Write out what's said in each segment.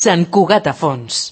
Sant Cugat a fons.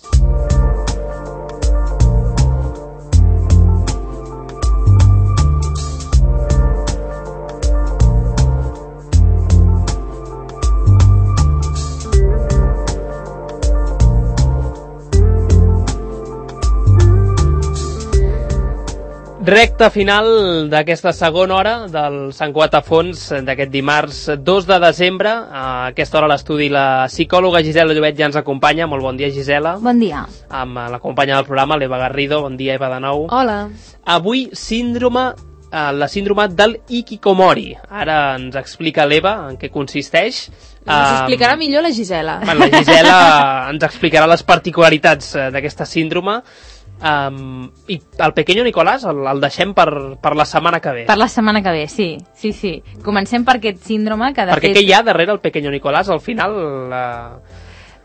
Recta final d'aquesta segona hora del Sant Cugat a fons d'aquest dimarts 2 de desembre. A aquesta hora a l'estudi la psicòloga Gisela Llobet ja ens acompanya. Molt bon dia, Gisela. Bon dia. Amb la companya del programa, l'Eva Garrido. Bon dia, Eva, de nou. Hola. Avui, la síndrome del hikikomori. Ara ens explica l'Eva en què consisteix. Ens explicarà millor la Gisela. La Gisela ens explicarà les particularitats d'aquesta síndrome. I el Pequeño Nicolás el deixem per la setmana que ve. Per la setmana que ve, sí. Comencem per aquest síndrome que de Perquè fet... què hi ha darrere el Pequeño Nicolás? Al final,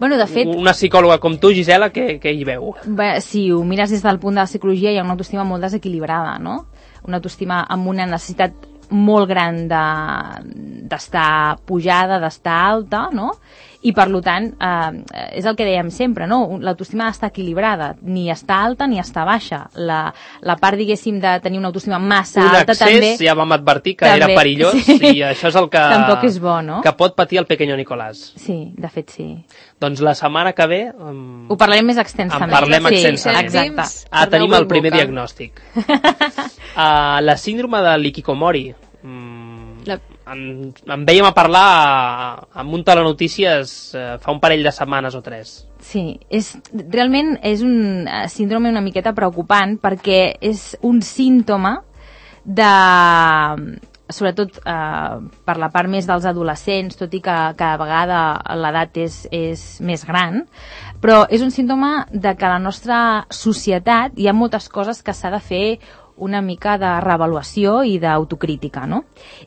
Bueno, de fet... una psicòloga com tu, Gisela, què hi veu? Bé, si ho mires des del punt de la psicologia, hi ha una autoestima molt desequilibrada, no? Una autoestima amb una necessitat molt gran d'estar pujada, d'estar alta, no? I per tant, és el que dèiem sempre, no? L'autoestima ha d'estar equilibrada, ni està alta ni està baixa. La part, diguéssim, de tenir una autoestima massa alta també... Un excés, ja vam advertir que era perillós, sí. I això és el que... Tampoc és bo, no? Que pot patir el Pequeño Nicolás. Sí, de fet sí. Doncs la setmana que ve... Ho parlarem més extensament. En parlem extensament. Exacte. Tenim el primer diagnòstic. La síndrome de l'hikikomori. En vèiem a parlar amb un telenotícies fa un parell de setmanes o 3. Sí, realment és un síndrome una miqueta preocupant perquè és un símptoma de... sobretot per la part més dels adolescents, tot i que cada vegada l'edat és més gran, però és un símptoma de que a la nostra societat hi ha moltes coses que s'ha de fer una mica de reavaluació i d'autocrítica, no?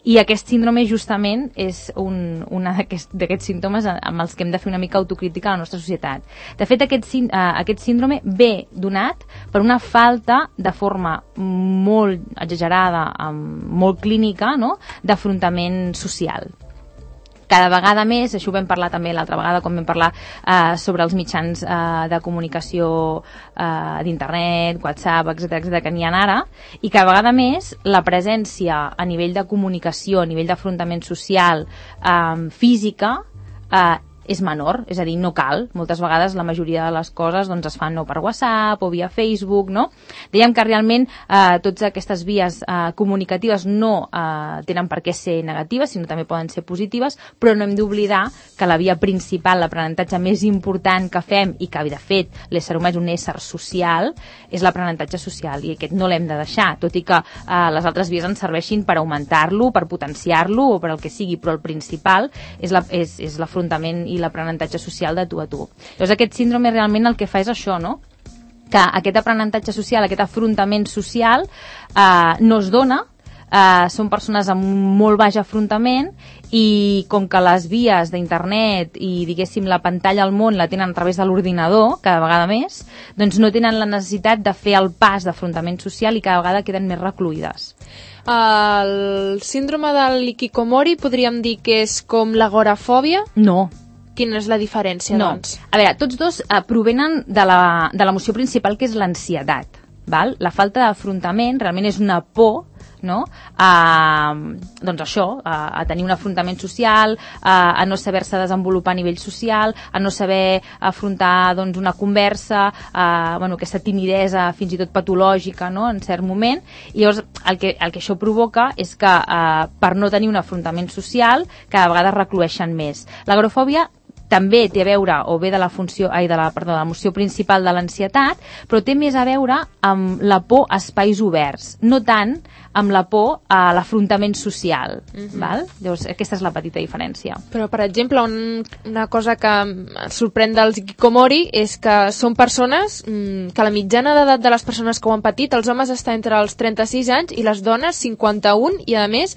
I aquest síndrome justament és un d'aquests símptomes amb els que hem de fer una mica autocrítica a la nostra societat. De fet, aquest síndrome ve donat per una falta de forma molt exagerada, molt clínica, no?, d'afrontament social. Cada vegada més, això ho vam parlar també l'altra vegada quan vam parlar sobre els mitjans de comunicació d'internet, WhatsApp, etc que n'hi ha ara, i cada vegada més la presència a nivell de comunicació, a nivell d'afrontament social, física, és menor, és a dir, no cal. Moltes vegades la majoria de les coses doncs, es fan no per WhatsApp o via Facebook, no? Dèiem que realment totes aquestes vies comunicatives no tenen per què ser negatives, sinó també poden ser positives, però no hem d'oblidar que la via principal, l'aprenentatge més important que fem i que, de fet, l'ésser humà és un ésser social, és l'aprenentatge social, i aquest no l'hem de deixar, tot i que les altres vies ens serveixin per augmentar-lo, per potenciar-lo o per el que sigui, però el principal és l'afrontament i l'aprenentatge social de tu a tu. Llavors aquest síndrome realment el que fa és això, no?, que aquest aprenentatge social, aquest afrontament social no es dona, són persones amb molt baix afrontament i com que les vies d'internet i diguéssim la pantalla al món la tenen a través de l'ordinador cada vegada més, doncs no tenen la necessitat de fer el pas d'afrontament social i cada vegada queden més recluïdes. El síndrome de l'hikikomori podríem dir que és com l'agorafòbia? No. Quina és la diferència, doncs? A veure, tots dos provenen de l'emoció principal, que és l'ansietat. La falta d'afrontament realment és una por, no?, doncs això, a tenir un afrontament social, a no saber-se desenvolupar a nivell social, a no saber afrontar doncs, una conversa, aquesta timidesa fins i tot patològica, no?, en cert moment. I llavors el que això provoca és que per no tenir un afrontament social cada vegada es reclueixen més. L'agorafòbia també té a veure, o ve de l'emoció principal de l'ansietat, però té més a veure amb la por a espais oberts, no tant amb la por a l'afrontament social. Val? Llavors, aquesta és la petita diferència. Però, per exemple, una cosa que sorprèn dels hikikomori és que són persones que la mitjana d'edat de les persones que ho han patit, els homes està entre els 36 anys i les dones 51, i a més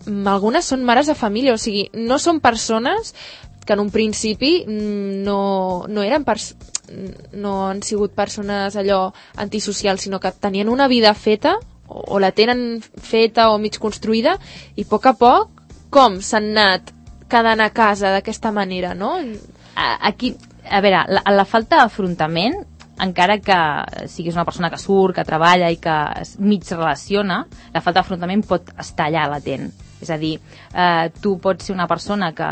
algunes són mares de família, o sigui, no són persones que en un principi no han sigut persones allò antisocials, sinó que tenien una vida feta, o la tenen feta o mig construïda, i a poc, com s'han anat quedant a casa d'aquesta manera, no? Aquí a veure, la falta d'afrontament, encara que siguis una persona que surt, que treballa i que mig relaciona, la falta d'afrontament pot estar allà latent. És a dir, tu pots ser una persona que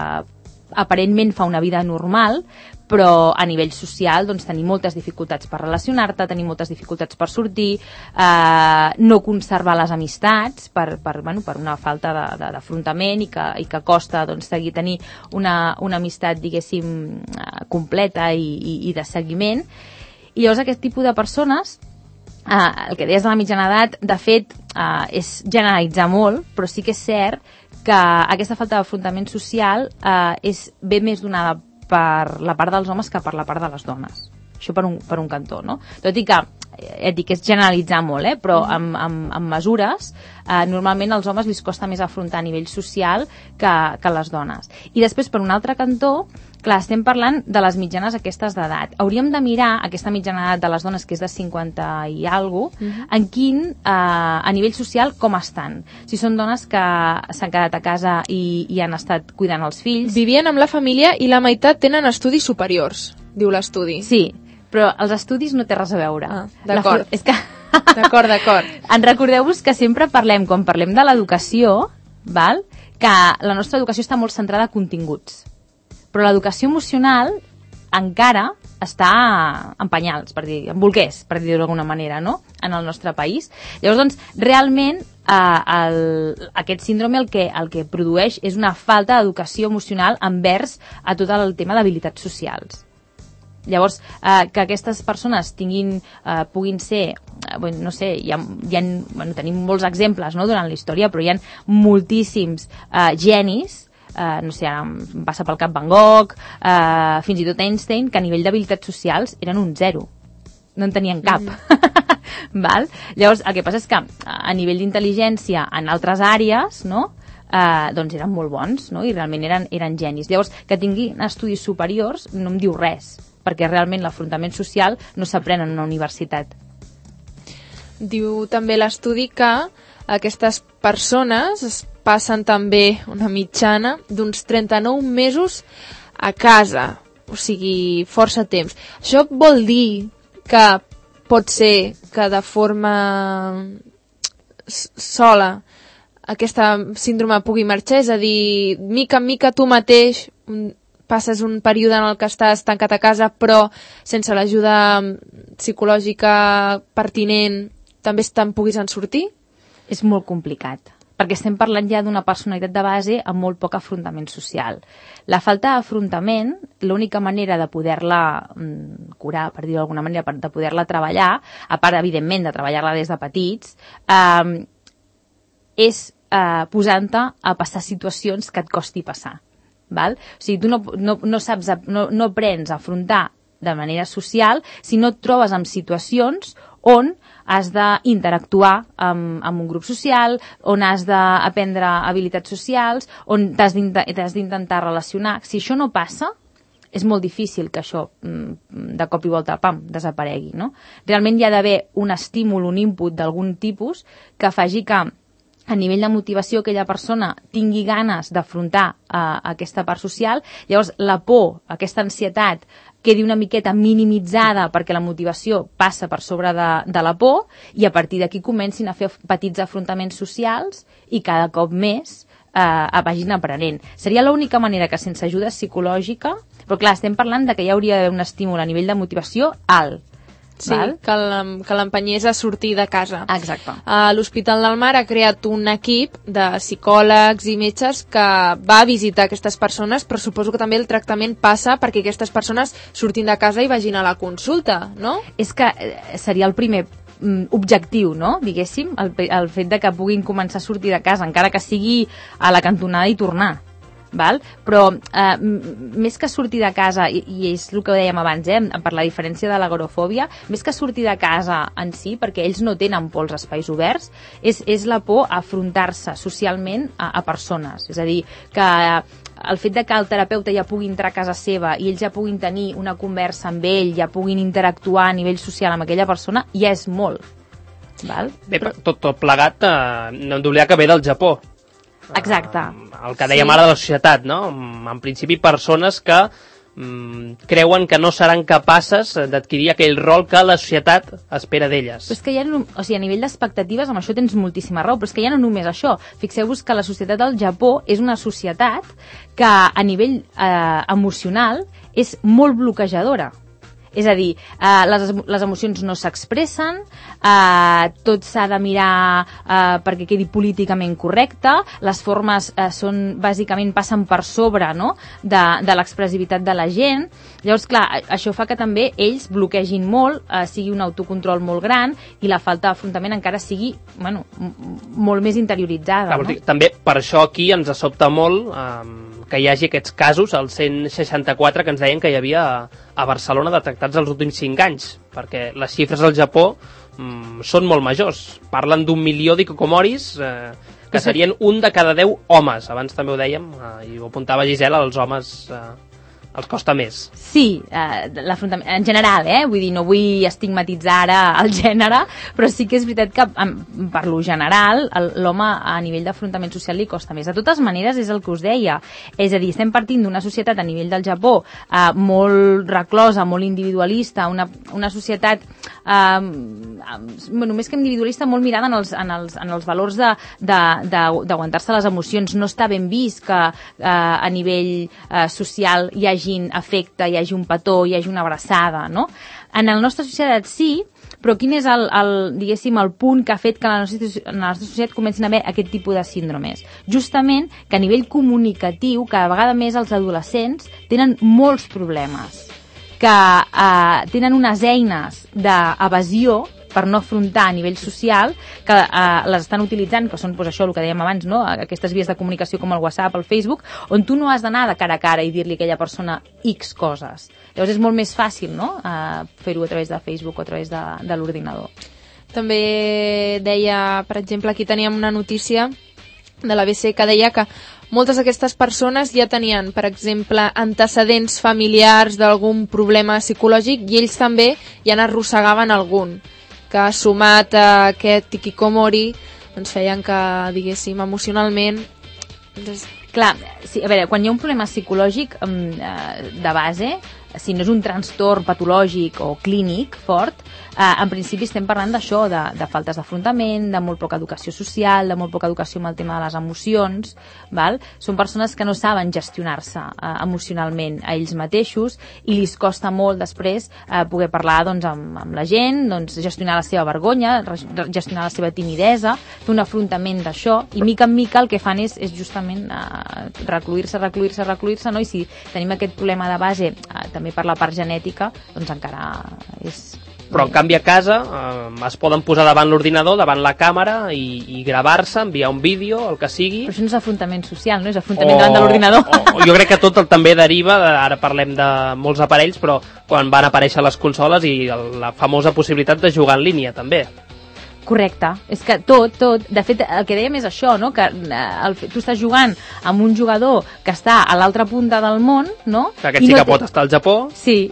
aparentment fa una vida normal, però a nivell social doncs, tenir moltes dificultats per relacionar-te, tenir moltes dificultats per sortir, no conservar les amistats per una falta d'afrontament i que costa doncs, tenir una amistat, diguéssim, completa i de seguiment. I llavors aquest tipus de persones, el que deies de la mitjana edat, de fet, és generalitzar molt, però sí que és cert que aquesta falta d'afrontament social ve més donada per la part dels homes que per la part de les dones. Això per un cantó, no? Tot i que, que és generalitzar molt, però amb mesures, normalment als homes li costa més afrontar a nivell social que les dones. I després, per un altre cantó, clar, estem parlant de les mitjanes aquestes d'edat. Hauríem de mirar aquesta mitjana edat de les dones, que és de 50 i alguna cosa, en quin, a nivell social, com estan. Si són dones que s'han quedat a casa i han estat cuidant els fills. Vivien amb la família i la meitat tenen estudis superiors, diu l'estudi. Sí, però els estudis no té res a veure. D'acord. És que... D'acord. En recordeu-vos que sempre quan parlem de l'educació, que la nostra educació està molt centrada a continguts. Però l'educació emocional encara està en penyals, en bolquers, per dir-ho d'alguna manera, no? En el nostre país. Llavors, doncs, realment, aquest síndrome el que produeix és una falta d'educació emocional envers a tot el tema d'habilitats socials. Llavors, que aquestes persones puguin ser, no sé, tenim molts exemples, no?, durant la història, però hi ha moltíssims genis, no sé, ara em passa pel cap Van Gogh, fins i tot Einstein, que a nivell d'habilitats socials eren un 0. No en tenien cap. Val? Llavors, el que passa és que a nivell d'intel·ligència en altres àrees, no?, doncs eren molt bons, no?, i realment eren genis. Llavors, que tinguin estudis superiors no em diu res, perquè realment l'afrontament social no s'aprèn en una universitat. Diu també l'estudi que aquestes persones es passen també una mitjana d'uns 39 mesos a casa, o sigui, força temps. Això vol dir que pot ser que de forma sola aquesta síndrome pugui marxar, és a dir, mica en mica tu mateix passes un període en el que estàs tancat a casa, però sense l'ajuda psicològica pertinent també te'n puguis en sortir? És molt complicat, perquè estem parlant ja d'una personalitat de base amb molt poc afrontament social. La falta d'afrontament, l'única manera de poder-la curar, per dir-ho d'alguna manera, de poder-la treballar, a part, evidentment, de treballar-la des de petits, és posant-te a passar situacions que et costi passar. Val? O sigui, tu no aprens a afrontar de manera social si no et trobes en situacions on has d'interactuar amb un grup social, on has d'aprendre habilitats socials, on t'has d'intentar relacionar. Si això no passa, és molt difícil que això de cop i volta desaparegui, no? Realment hi ha d'haver un estímul, un input d'algun tipus que faci que a nivell de motivació aquella persona tingui ganes d'afrontar aquesta part social. Llavors la por, aquesta ansietat, quedi una miqueta minimitzada perquè la motivació passa per sobre de la por i a partir d'aquí comencin a fer petits afrontaments socials i cada cop més vagin aprenent. Seria l'única manera que sense ajuda psicològica, però clar, estem parlant de que hi hauria d'haver un estímul a nivell de motivació alt. Sí, que l'empenyés a sortir de casa. Exacte. L'Hospital del Mar ha creat un equip de psicòlegs i metges que va a visitar aquestes persones, però suposo que també el tractament passa perquè aquestes persones surtin de casa i vagin a la consulta, no? És que seria el primer objectiu, no?, diguéssim, el fet de que puguin començar a sortir de casa, encara que sigui a la cantonada i tornar. Val? Però més que sortir de casa, i és el que dèiem abans, per la diferència de l'agorafòbia, més que sortir de casa en si, perquè ells no tenen por als espais oberts, és la por a afrontar-se socialment a persones. És a dir, que el fet de que el terapeuta ja pugui entrar a casa seva i ells ja puguin tenir una conversa amb ell, ja puguin interactuar a nivell social amb aquella persona, ja és molt. Val? Bé, tot plegat, no hem d'oblidar que ve del Japó. Exacte. El que dèiem ara de la societat, no? En principi, persones que creuen que no seran capaces d'adquirir aquell rol que la societat espera d'elles. Però és que a nivell d'expectatives, amb això tens moltíssima raó, però és que ja no només això. Fixeu-vos que la societat del Japó és una societat que a nivell emocional és molt bloquejadora. És a dir, les emocions no s'expressen, tot s'ha de mirar perquè quedi políticament correcte, les formes bàsicament passen per sobre, no?, de l'expressivitat de la gent. Llavors, clar, això fa que també ells bloquegin molt, sigui un autocontrol molt gran i la falta d'afrontament encara sigui molt més interioritzada. Clar, no? També per això aquí ens sobta molt que hi hagi aquests casos, el 164 que ens deien que hi havia a Barcelona detectats els últims 5 anys, perquè les xifres al Japó són molt majors. Parlen d'1 milió d'hikicomoris que serien un de cada 10 homes. Abans també ho dèiem, i ho apuntava Gisela, els homes els costa més. Sí, l'afrontament, en general, vull dir, no vull estigmatitzar ara el gènere, però sí que és veritat que per lo general l'home a nivell d'afrontament social li costa més. De totes maneres, és el que us deia, és a dir, estem partint d'una societat a nivell del Japó molt reclosa, molt individualista, una societat més que individualista, molt mirada en els valors d'aguantar-se les emocions. No està ben vist que a nivell social hi hagi afecte, hi hagi un petó, hi hagi una abraçada, no? En la nostra societat sí, però quin és diguéssim, el punt que ha fet que en la nostra societat comencin a haver aquest tipus de síndromes? Justament que a nivell comunicatiu, cada vegada més els adolescents tenen molts problemes, que tenen unes eines d'evasió per no afrontar a nivell social, que les estan utilitzant, que són això, el que dèiem abans, no? Aquestes vies de comunicació com el WhatsApp, el Facebook, on tu no has d'anar de cara a cara i dir-li a aquella persona X coses. Llavors és molt més fàcil, no?, fer-ho a través de Facebook o a través de l'ordinador. També deia, per exemple, aquí teníem una notícia de l'ABC que deia que moltes d'aquestes persones ja tenien, per exemple, antecedents familiars d'algun problema psicològic i ells també ja n'arrossegaven algun, que sumat a aquest hikikomori doncs feien que, diguéssim, emocionalment... Clar, sí, a veure, quan hi ha un problema psicològic de base, si no és un trastorn patològic o clínic fort, en principi estem parlant d'això, de faltes d'afrontament, de molt poca educació social, de molt poca educació amb el tema de les emocions, val? Són persones que no saben gestionar-se emocionalment a ells mateixos i li costa molt després poder parlar amb la gent, gestionar la seva vergonya, gestionar la seva timidesa, fer un afrontament d'això, i mica en mica el que fan és justament recluir-se, no? I si tenim aquest problema de base també per la part genètica, doncs encara és... Però en canvi a casa es poden posar davant l'ordinador, davant la càmera i gravar-se, enviar un vídeo, el que sigui. Però això no és afrontament social, no? És afrontament davant de l'ordinador. Jo crec que tot també deriva, ara parlem de molts aparells, però quan van aparèixer les consoles i la famosa possibilitat de jugar en línia també. Correcte, és que tot, de fet el que dèiem és això, no? Que tu estàs jugant amb un jugador que està a l'altra punta del món, no? Que aquest sí que pot estar al Japó. Sí,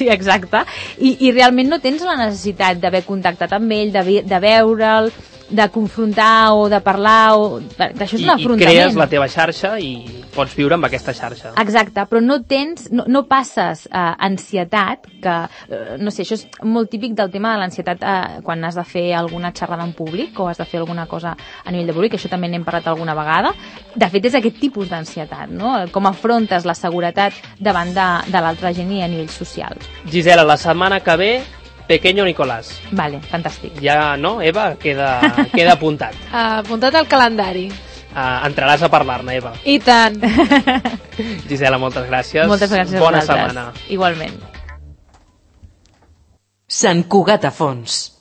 exacte, i realment no tens la necessitat d'haver contactat amb ell, de veure'l, de confrontar o de parlar, això és un afrontament. I crees la teva xarxa i pots viure amb aquesta xarxa. Exacte, però no passes ansietat, que, no sé, això és molt típic del tema de l'ansietat quan has de fer alguna xerrada en públic o has de fer alguna cosa a nivell de públic, això també n'hem parlat alguna vegada. De fet, és aquest tipus d'ansietat, no? Com afrontes la seguretat davant de l'altra gent i a nivell social. Gisela, la setmana que ve Pequeño Nicolás. Vale, fantàstic. Ja, no, Eva? Queda apuntat. Apuntat al calendari. Entraràs a parlar-ne, Eva. I tant. Gisela, moltes gràcies. Moltes gràcies a Bona vosaltres. setmana. Igualment. Sant Cugat a Fons.